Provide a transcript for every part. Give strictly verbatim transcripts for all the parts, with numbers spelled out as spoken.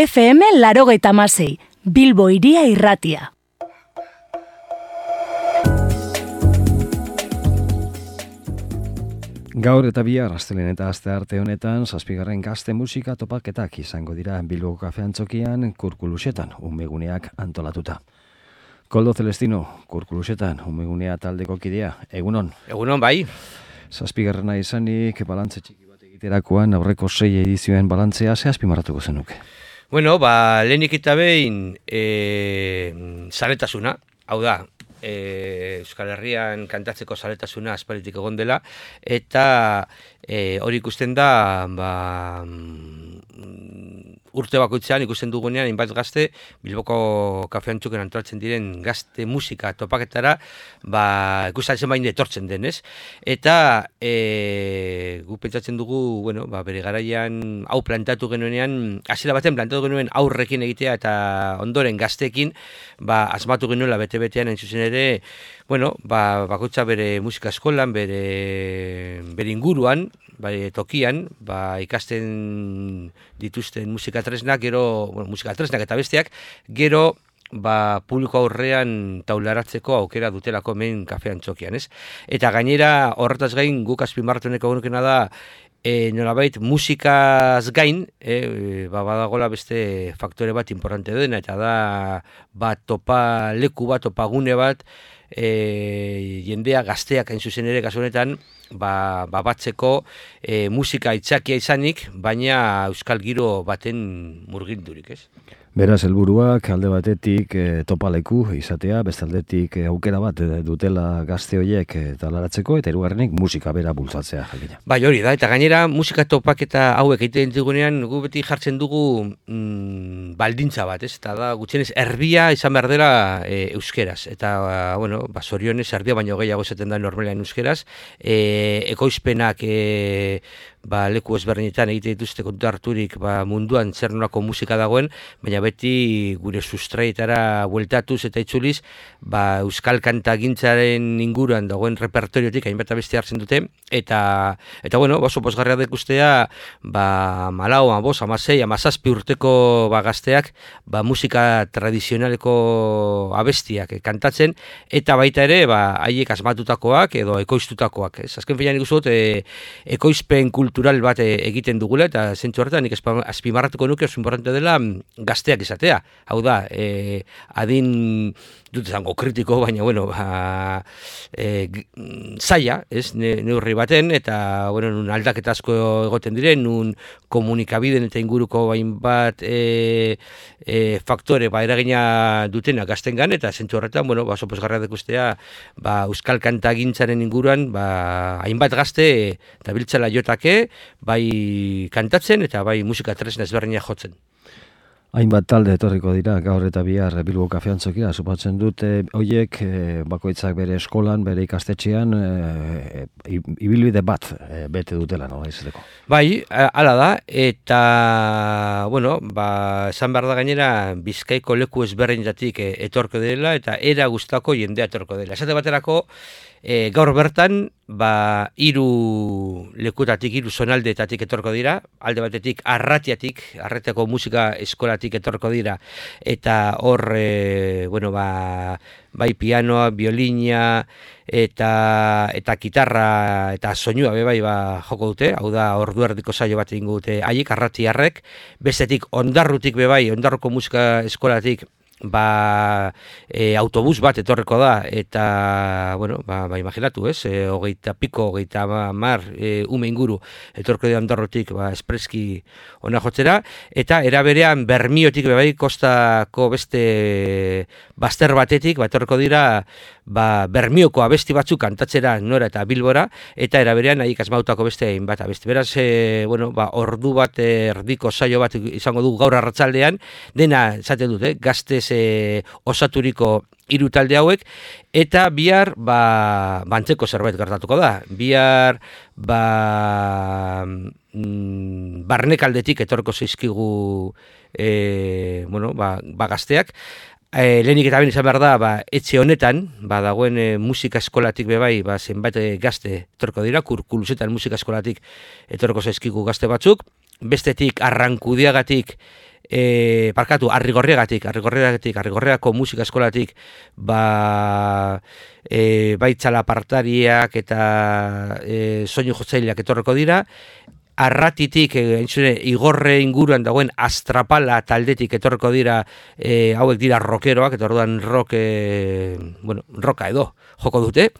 F M laurogeita hamasei, Bilbo Hiria Irratia. Gaur eta bihar, astelehen eta astearte honetan, zazpigarren gazte musika topaketak izango dira Bilbo Kafe Antzokian, Kurkulusetan, umeguneak antolatuta. Koldo Celestino, Kurkulusetan, umegunea taldeko kidea, egunon? Egunon, bai. Zazpigarrena izanik, balantze txiki bat egiterakoan, aurreko sei edizioen balantzea, ze azpimarratuko zenuke? Bueno, ba, lehenik eta behin, e, zaletasuna, hau da, E, Euskal Herrian kantatzeko zaletasuna aspalditik egon dela, eta e, hori ikusten da ba, urte bakoitzean ikusten dugunean hainbat gazte Bilboko Kafe Antzokian antolatzen diren gazte musika topaketara ba, ikusten bain etortzen denez, eta e, gu pentsatzen dugu bueno, ba, bere garaian hau plantatu genuenean, hasiera baten plantatu genuen aurrekin egitea eta ondoren gazteekin ba, asmatu genuela bete-betean hain zuzen ere, bueno, ba, bakoitza bere musika eskolan, bere, bere inguruan, bai, tokian, ba, ikasten dituzten musika tresnak, gero, bueno, musika tresnak eta besteak, gero, ba, publiko aurrean taularatzeko aukera dutelako hemen Kafe Antzokian, ez? Eta gainera, horretaz gain, guk azpimarratuneko genukena da, e, nolabait, musikaz gain, e, ba, badagola beste faktore bat importante dena, eta da, ba, topa leku bat, topagune bat, E, jendea gazteak hain zuzen ere kasu honetan ba, ba batzeko e, musika aitzakia izanik, baina euskal giro baten murgildurik, ez? Beraz, helburuak alde batetik e, topaleku izatea, beste aldetik e, aukera bat e, dutela gazte horiek e, talaratzeko, eta hirugarrenik musika bera bultzatzea jakina. Bai, hori da, eta gainera musika topaketa hauek egiten digunean, gu beti jartzen dugu mm, baldintza bat, ez? Eta da, gutxienez, erbia izan behar dela e, euskeraz, eta, bueno, ba, zorionez, erbia baino gehiago esaten da normalean euskeraz, e, ekoizpenak e, ba, leku ezberdinetan egite dituzte kontu harturik ba, munduan zer nolako musika dagoen, baina beti gure sustraietara bueltatuz eta itzuliz ba, euskal kantagintzaren inguruan dagoen repertoriotik hainbat beste hartzen dute, eta, eta bueno, oso pozgarria dekustea ba, malau, amabos, amasei, amazazpi urteko ba, gazteak ba, musika tradizionaleko abestiak eh, kantatzen, eta baita ere ba, haiek asmatutakoak edo ekoiztutakoak. Ez? Azken finean ikusut, e, ekoizpen kultural bat egiten dugula, eta zentzu horretan nik azpimarratuko nuke oso importante dela gazteak izatea. Hau da, e, adin dut izango kritiko, baina bueno, ba, e, zaila, ez, neurri baten, eta bueno, nun aldaketa asko egoten diren, nun komunikabideen eta inguruko hainbat e, e, faktore ba, eragina dutena gaztengan, eta zentzu horretan, bueno, ba, oso pozgarria dekustea, ba, euskal kantagintzaren inguruan, ba, hainbat gazte eta biltzala jotake, bai kantatzen eta bai musika tresna ezberdina jotzen. Hainbat talde etorriko dira gaur eta bihar Bilbo Kafe Antzokira, supatzen dute hoiek e, bakoitzak bere eskolan, bere ikastetxean e, ibilbide bat e, bete dutela, no, izateko. Bai, hala da, eta bueno, ba, esan behar da gainera Bizkaiko leku ezberdinetatik e, etorko dela eta era guztako jendea etorko dela. Esate baterako, E, gaur bertan, ba, hiru lekutatik, hiru zonaldeetatik etorko dira, alde batetik Arratiatik, Arratiako musika eskolatik etorko dira, eta hor, e, bueno, ba, bai pianoa, biolina, eta eta gitarra eta soinua be bai ba, joko dute, hau da ordu erdiko saio bat egingo dute haiek arratiarrek, bestetik Ondarrutik be bai, Ondarruko musika eskolatik ba, e, autobus bat etorreko da, eta, bueno, ba, ba imaginatu, ez, e, hogeita piko, hogeita mar e, ume inguru etorko da Ondarrutik, ba, espreski ona jotzera, eta era berean Bermiotik bebai kostako beste bazter batetik, ba, etorko dira, ba, Bermioko abesti batzuk kantatzera nora eta Bilbora, eta era berean haiek asmautako beste hainbat abesti. Beraz, e, bueno, ba, ordu bat erdiko saio bat izango du gaur arratsaldean, dena, esaten dut, eh, gaztez e, osaturiko hiru talde hauek, eta bihar ba, bantzeko zerbait gertatuko da. Bihar ba, mm, barnekaldetik etorko zaizkigu e, bueno, ba, ba gazteak, E, lehenik eta ben izan behar da, ba, etxe honetan, ba, dagoen e, musika eskolatik bebai, ba, zenbait e, gazte etorko dira, Kurkulusetan musika eskolatik etorko zaizkigu gazte batzuk, bestetik Arrankudiagatik e, parkatu, Arrigorriagatik, Arrigorriagatik, Arrigorriagako musika eskolatik, ba, e, bai txalapartariak eta e, soinu jotzaileak etorreko dira, Arratitik, e, igorre inguruan dagoen Astrapala taldetik etorreko dira, e, hauek dira rockeroak, eta orduan rock, e, bueno, rocka edo joko dute.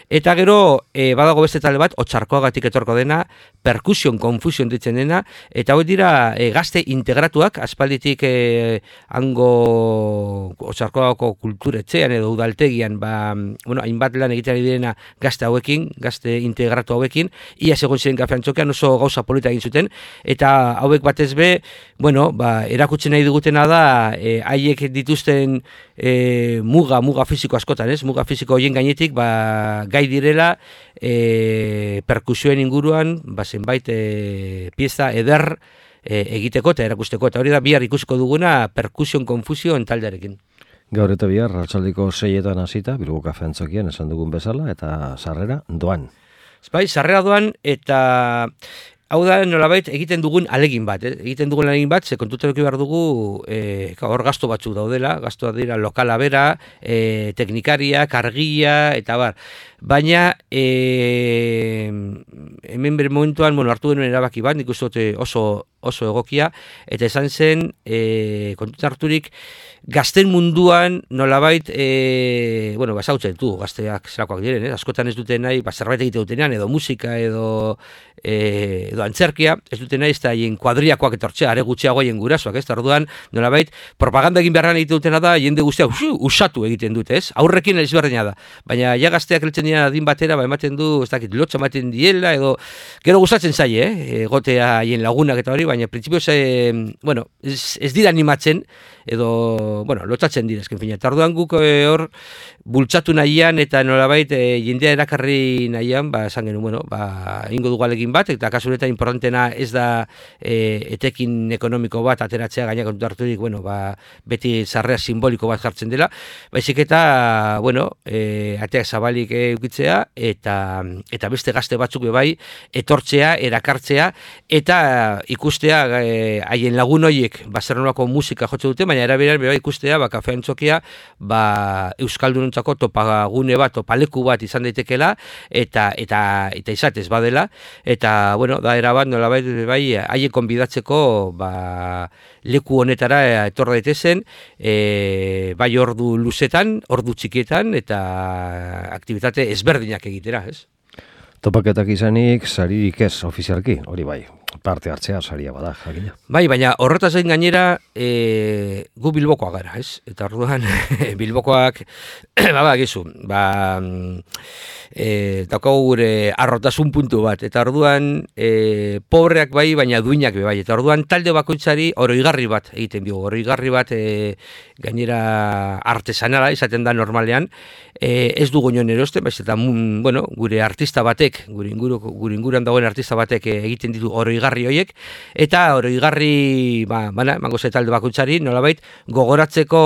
Eta gero, e, badago beste talde bat, Otsarkoagatik etorko dena, Percussion Confusion ditzen dena, eta hauek dira e, gazte integratuak, aspalditik e, hango Otsarkoagako kulturetxean edo udaltegian, ba, bueno, hainbat lan egiteari direna gazte hauekin, gazte integratu hauekin, ia segun ziren Kafean Txokian oso gauza polita egin zuten, eta hauek batez be, bueno, ba, erakutzen nahi dugutena da, e, haiek dituzten e, muga, muga fisiko askotan, ez? Muga fisiko horien gainetik, ba, gai direla, e, perkusioen inguruan, ba, zenbait e, pieza eder e, egiteko eta erakusteko, eta hori da bihar ikusiko duguna Percussion Confusion taldearekin. Gaur eta bihar, arratsaldeko seietan hasita, Bilbo Kafe Antzokian esan dugun bezala, eta sarrera doan. Bai, sarrera doan, eta hau da nolabait egiten dugun alegin bat, eh? egiten dugun alegin bat, ze kontutan eduki behar dugu, eh, hor gasto batzuk daudela, gastoak dira lokala bera, eh, teknikaria, kargia, eta bar. Baina, eh, hemen bere momentuan, bueno, hartu genuen erabaki bat, nik uste oso, oso egokia, eta esan zen, eh, kontutan harturik, gazten munduan nolabait, e, bueno, basautzen du, gazteak zerakoak diren, eh? Askotan ez dute nahi, ba, zerbait egite dutenean, edo musika, edo, e, edo antzerkia, ez dute nahi, ez da hien kuadriakoak etortzea, are gutxiago hien gurasoak, ez da, orduan, nolabait, propaganda egin beharran egite dutena da, jende guztia usu, usatu egiten dute, ez? Aurrekin ezberdina da, baina ja gazteak heltzen dira adin batera, ba, ematen du, ez dakit, lotxa ematen diela, edo, gero gustatzen zaie, eh? Egotea hien lagunak eta hori, baina printzipioz, e, bueno, ez, ez dira animatzen, edo, bueno, lotzatzen dira, esken fina. Eta orduan guk e, hor bultzatu nahian eta nolabait e, jendea erakarri nahian, ba, esan genuen, bueno, ba, ingo dugu alegin bat, eta kasu honetan importantena ez da e, etekin ekonomiko bat ateratzea gainak kontu harturik, bueno, ba, beti sarrera simboliko bat jartzen dela, baizik eta, bueno, e, ateak zabalik eukitzea, eta, eta beste gazte batzuk bai, etortzea, erakartzea, eta ikustea haien e, lagun horiek, ba, zer nolako musika jotze dute, baina eraberan beba ikustea, ba, Kafe Antzokia, ba, euskaldunontzako topagune bat, topaleku bat izan daitekela, eta eta eta izatez badela, eta, bueno, da erabat, nolabait, bai, haien konbidatzeko, ba, leku honetara etor daitezen, e, bai ordu luzetan, ordu txikietan, eta aktibitate ezberdinak egitera, ez? Topaketak izanik, saririk ez ofizialki, hori bai, parte hartzea saria bada, jakina. Bai, baina horretaz gain gainera, e, gu Bilbokoak gara, ez? Eta orduan, Bilbokoak, ba, gizu, ba, e, daukagu gure arrotasun puntu bat, eta orduan, e, pobreak bai, baina duinak bai, eta orduan talde bakoitzari oroigarri bat egiten bigu, oroigarri bat, e, gainera artesanala izaten da normalean, e, ez dugu nion erosten, baiz, eta, bueno, gure artista batek, gure, inguru, gure inguruan dagoen artista batek egiten ditu oroigarri horiek, eta oroigarri, ba, bana, emango ze talde bakoitzari, nolabait, gogoratzeko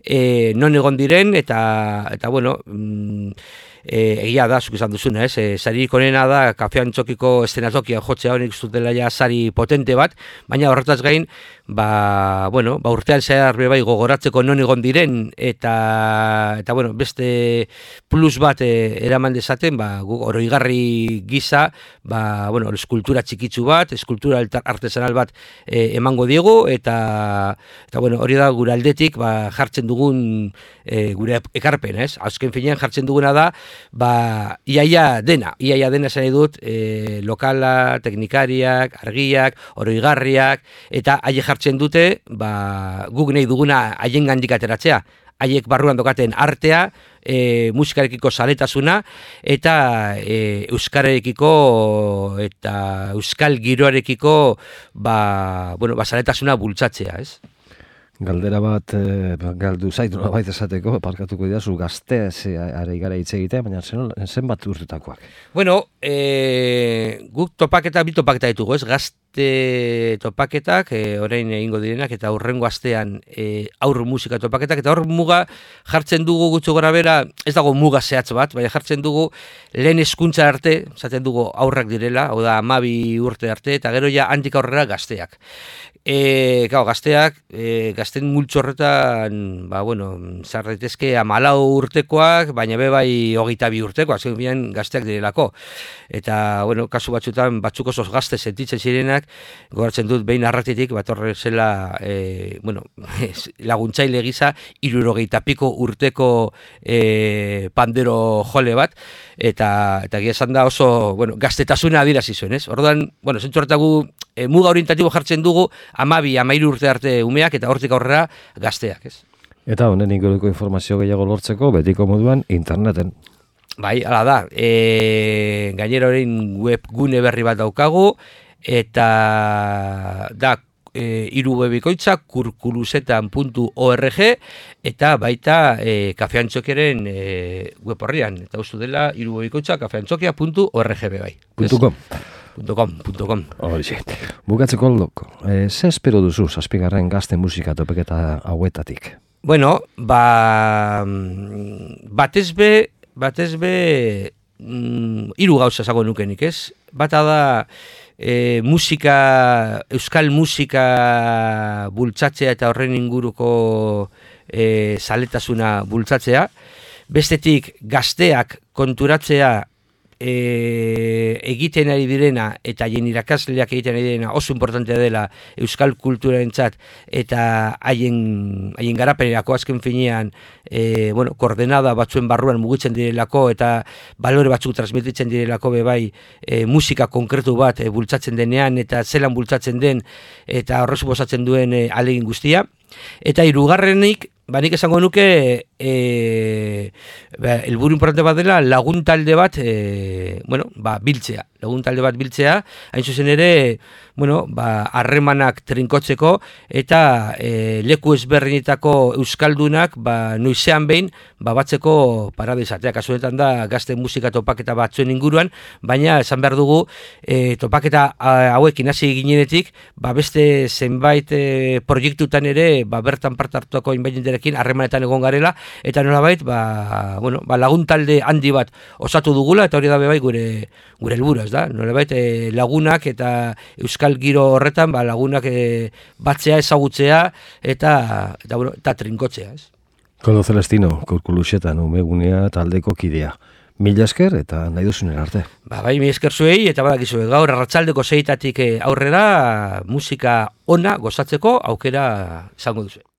e, non egon diren, eta, eta bueno, mm, e, egia da, zuk izan duzuna, ez? E, saririk onena da, Kafe Antzokiko eszenatokia jotzea honik zutela ja sari potente bat, baina horretaz gain, ba, bueno, ba, urtean zehar bai gogoratzeko non egon diren, eta, eta bueno, beste plus bat e, eraman dezaten, ba, oroigarri gisa, ba, bueno, eskultura txikitsu bat, eskultura artesanal bat e, emango diegu, eta, eta bueno, hori da gure aldetik, ba, jartzen dugun e, gure ekarpen, ez? Azken finean jartzen duguna da, ba, iaia dena, iaia dena esan dut, e, lokala, teknikariak, argiak, oroigarriak, eta haie jartzen dute, ba, guk nahi duguna haien gandik ateratzea, haiek barruan dokaten artea, e, musikarekiko zaletasuna, eta e, euskarekiko eta euskal giroarekiko, ba, bueno, ba, zaletasuna bultzatzea, ez? Galdera bat, e, galdu zaitu nolabait esateko, parkatuko didazu gaztez are gara hitz egitea, baina zen bat urtetakoak. Bueno, e, guk topaketa, bi topaketa ditugu, ez? Gazte gazte topaketak, e, orain egingo direnak, eta hurrengo astean e, aur musika topaketak, eta hor muga jartzen dugu gutxo gora bera, ez dago muga zehatz bat, baina jartzen dugu lehen hezkuntza arte, zaten dugu aurrak direla, hau da amabi urte arte, eta gero ja handik aurrera gazteak. E, gau, gazteak, e, gazten multxo horretan, ba, bueno, zar daitezke amalau urtekoak, baina be bai hogeita bi urtekoak, azken bian gazteak direlako. Eta, bueno, kasu batzutan, batzuk oso gazte sentitzen zirenak, goratzen dut behin arratitik, bat horre zela, e, bueno, laguntzaile gisa, hirurogeita piko urteko e, pandero jole bat, eta, eta gira esan da oso, bueno, gaztetasuna adirazi zuen, ez? Orduan, bueno, zentzu hartagu, e, muga orientatibo jartzen dugu, amabi, amairu urte arte umeak, eta hortik aurrera gazteak, ez? Eta honen inguruko informazio gehiago lortzeko, betiko moduan, interneten. Bai, hala da, e, gainera horrein webgune berri bat daukagu, eta da, e, iru webikoitza, kurkulusetan puntu org, eta baita e, kafeantxokeren e, web horrian, eta ustu dela, iru webikoitza, kafeantxokia puntu org bai. .com. .com, .com. Horixe. Bukatzeko aldoko, e, ze espero duzu zazpigarren gazte musika topeketa hauetatik? Bueno, ba, batez be, batez be, mm, hiru gauza esango nukenik, ez? Bata da, e, musika, euskal musika bultzatzea eta horren inguruko e, zaletasuna bultzatzea. Bestetik, gazteak konturatzea E, egiten ari direna eta haien irakasleak egiten ari direna oso importantea dela euskal kulturarentzat eta haien haien garapenerako azken finean e, bueno, koordenada batzuen barruan mugitzen direlako eta balore batzuk transmititzen direlako bebai e, musika konkretu bat e, bultzatzen denean eta zelan bultzatzen den eta horrez suposatzen duen e, ahalegin guztia. Eta hirugarrenik, ba nik esango nuke e, ba, helburu importante bat dela lagun talde bat e, bueno, ba, biltzea. Lagun talde bat biltzea, hain zuzen ere, bueno, ba, harremanak trinkotzeko eta e, leku ezberdinetako euskaldunak ba, noizean behin ba, batzeko parada izatea. Kasuenetan da gazte musika topaketa batzuen inguruan, baina esan behar dugu e, topaketa hauekin hasi ginenetik, ba, beste zenbait e, proiektutan ere ba, bertan parte hartuako inbainenderekin harremanetan egon garela, eta nolabait ba, bueno, ba, lagun talde handi bat osatu dugula, eta hori da bebai gure gure helburua, ez da? Nolabait e, lagunak eta euskal giro horretan ba, lagunak e, batzea, ezagutzea eta eta, bueno, eta trinkotzea, ez? Koldo Celestino, Kurkulusetan umegunea taldeko kidea. Mila esker eta nahi duzunen arte. Ba, bai, mila esker zuei, eta badakizue gaur arratsaldeko seitatik aurrera musika ona gozatzeko aukera izango duzu.